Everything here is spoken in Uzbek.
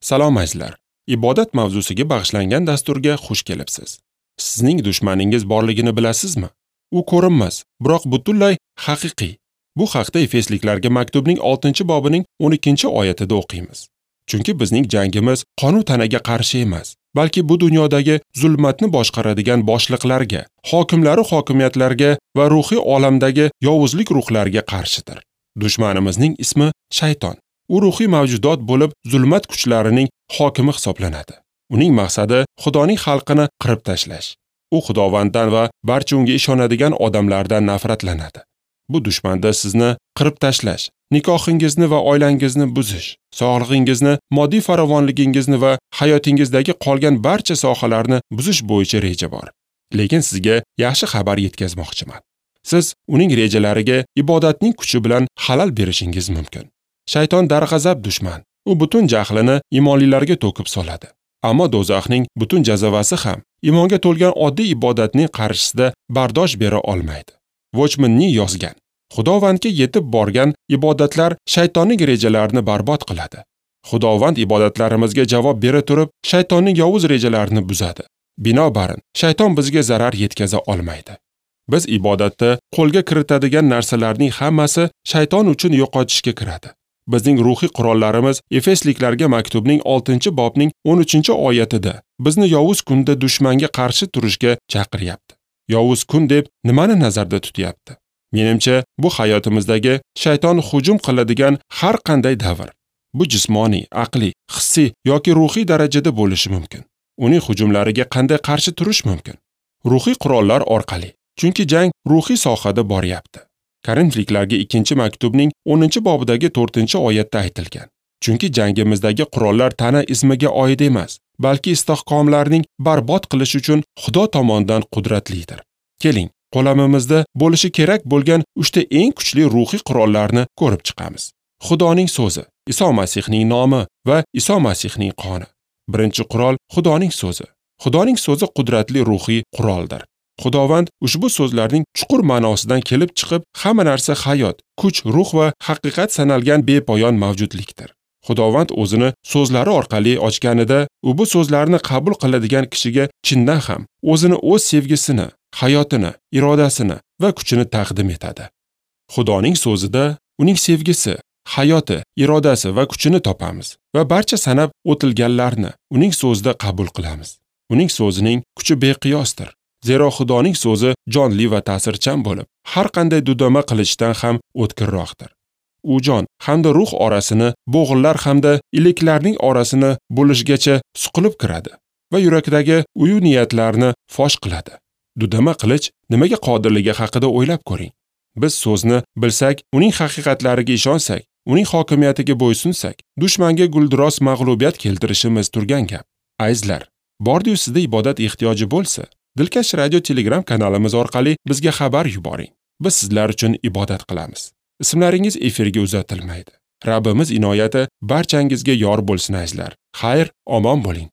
Salom azizlar. Ibodat mavzusiga bag'ishlangan dasturga xush kelibsiz. Sizning dushmaningiz borligini bilasizmi? U ko'rinmas, biroq butunlay haqiqiy. Bu haqda Efesliklarga maktubning 6-bobining 12-oyatida o'qiymiz. Chunki bizning jangimiz qonu tanaga qarshi emas, balki bu dunyodagi zulmatni boshqaradigan boshliqlarga, hokimlaru hokimiyatlarga va ruhiy olamdagi yovuzlik ruhlariga qarshidir. Dushmanimizning ismi shayton. U ruhiy mavjudot bo'lib, zulmat kuchlarining hokimi hisoblanadi. Uning maqsadi Xudoning xalqini qirib tashlash. U Xudovanddan va barcha unga ishonadigan odamlardan nafratlanadi. Bu dushmanda sizni qirib tashlash, nikohingizni va oilangizni buzish, sog'lig'ingizni, moddiy farovonligingizni va hayotingizdagi qolgan barcha sohalarni buzish bo'yicha reja bor. Lekin sizga yaxshi xabar yetkazmoqchiman. Siz uning rejalariga ibodatning kuchi bilan xalal berishingiz mumkin. Shayton darg'azab dushman. U butun jahlini imonlilarga to'kib soladi. Ammo do'zaxning butun jazavasi ham imonga to'lgan oddiy ibodatning qarshisida bardosh bera olmaydi. Watchman-ning yozgan: Xudovandga yetib borgan ibodatlar shaytonning rejalarini barbod qiladi. Xudovand ibodatlarimizga javob bera turib, shaytonning yovuz rejalarini buzadi. Binobarin, shayton bizga zarar yetkaza olmaydi. Biz ibodatda qo'lga kiritadigan narsalarning hammasi shayton uchun yo'qotishga kiradi. Bizning ruhiy qurollarimiz Efesliklarga maktubning 6-bobning 13-oyatida bizni yovuz kunda dushmanga qarshi turishga chaqiryapti. Yovuz kun deb nimani nazarda tutyapti? Menimcha, bu hayotimizdagi shayton hujum qiladigan har qanday davr. Bu jismoniy, aqliy, hissiy yoki ruhiy darajada bo'lishi mumkin. Uning hujumlariga qanday qarshi turish mumkin? Ruhiy qurollar orqali. Chunki jang ruhiy sohada boryapti. Korinfliklarga 2-maktubning 10-bobidagi 4-oyatda aytilgan. Chunki jangimizdagi qurollar tana ismiga oid emas, balki istehkomlarning barbod qilish uchun Xudo tomonidan qudratlidir. Keling, qo'lamimizda bo'lishi kerak bo'lgan 3 ta eng kuchli ruhiy qurollarni ko'rib chiqamiz. Xudoning so'zi, Iso Masihning nomi va Iso Masihning qoni. Birinchi qurol Xudoning so'zi. Xudoning so'zi qudratli ruhiy quroldir. Xudovand ushbu so'zlarning chuqur ma'nosidan kelib chiqib, hamma narsa hayot, kuch, ruh va haqiqat sanalgan bepoyon mavjudlikdir. Xudovand o'zini so'zlari orqali ochganida, u bu so'zlarni qabul qiladigan kishiga chindan ham o'zini o'z sevgisini, hayotini, irodasini va kuchini taqdim etadi. Xudoning so'zida uning sevgisi, hayoti, irodasi va kuchini topamiz va barcha sanab o'tilganlarni uning so'zida qabul qilamiz. Uning so'zining kuchi beqiyosdir. Zero Xudoning so'zi jonli va ta'sirchan bo'lib, har qanday dudama qilichdan ham o'tkirroqdir. U jon hamda ruh orasini, bo'g'inlar hamda iliklarning orasini bo'lishgacha suqilib kiradi va yurakdagi uyu niyatlarni fosh qiladi. Dudama qilich nimaga qodirligi haqida o'ylab ko'ring. Biz so'zni bilsak, uning haqiqatlariga ishonsak, uning hokimiyatiga bo'ysunsak, dushmanga guldiros mag'lubiyat keltirishimiz turgan gap. Azizlar, bordi-yu sizda ibodat ehtiyoji bo'lsa, Dilkash Radio Telegram kanalimiz orqali bizga xabar yuboring. Biz sizlar uchun ibodat qilamiz. Ismlaringiz efirga uzatilmaydi. Rabbimiz inoyati barchangizga yor bo'lsin azizlar. Xayr, omon bo'ling.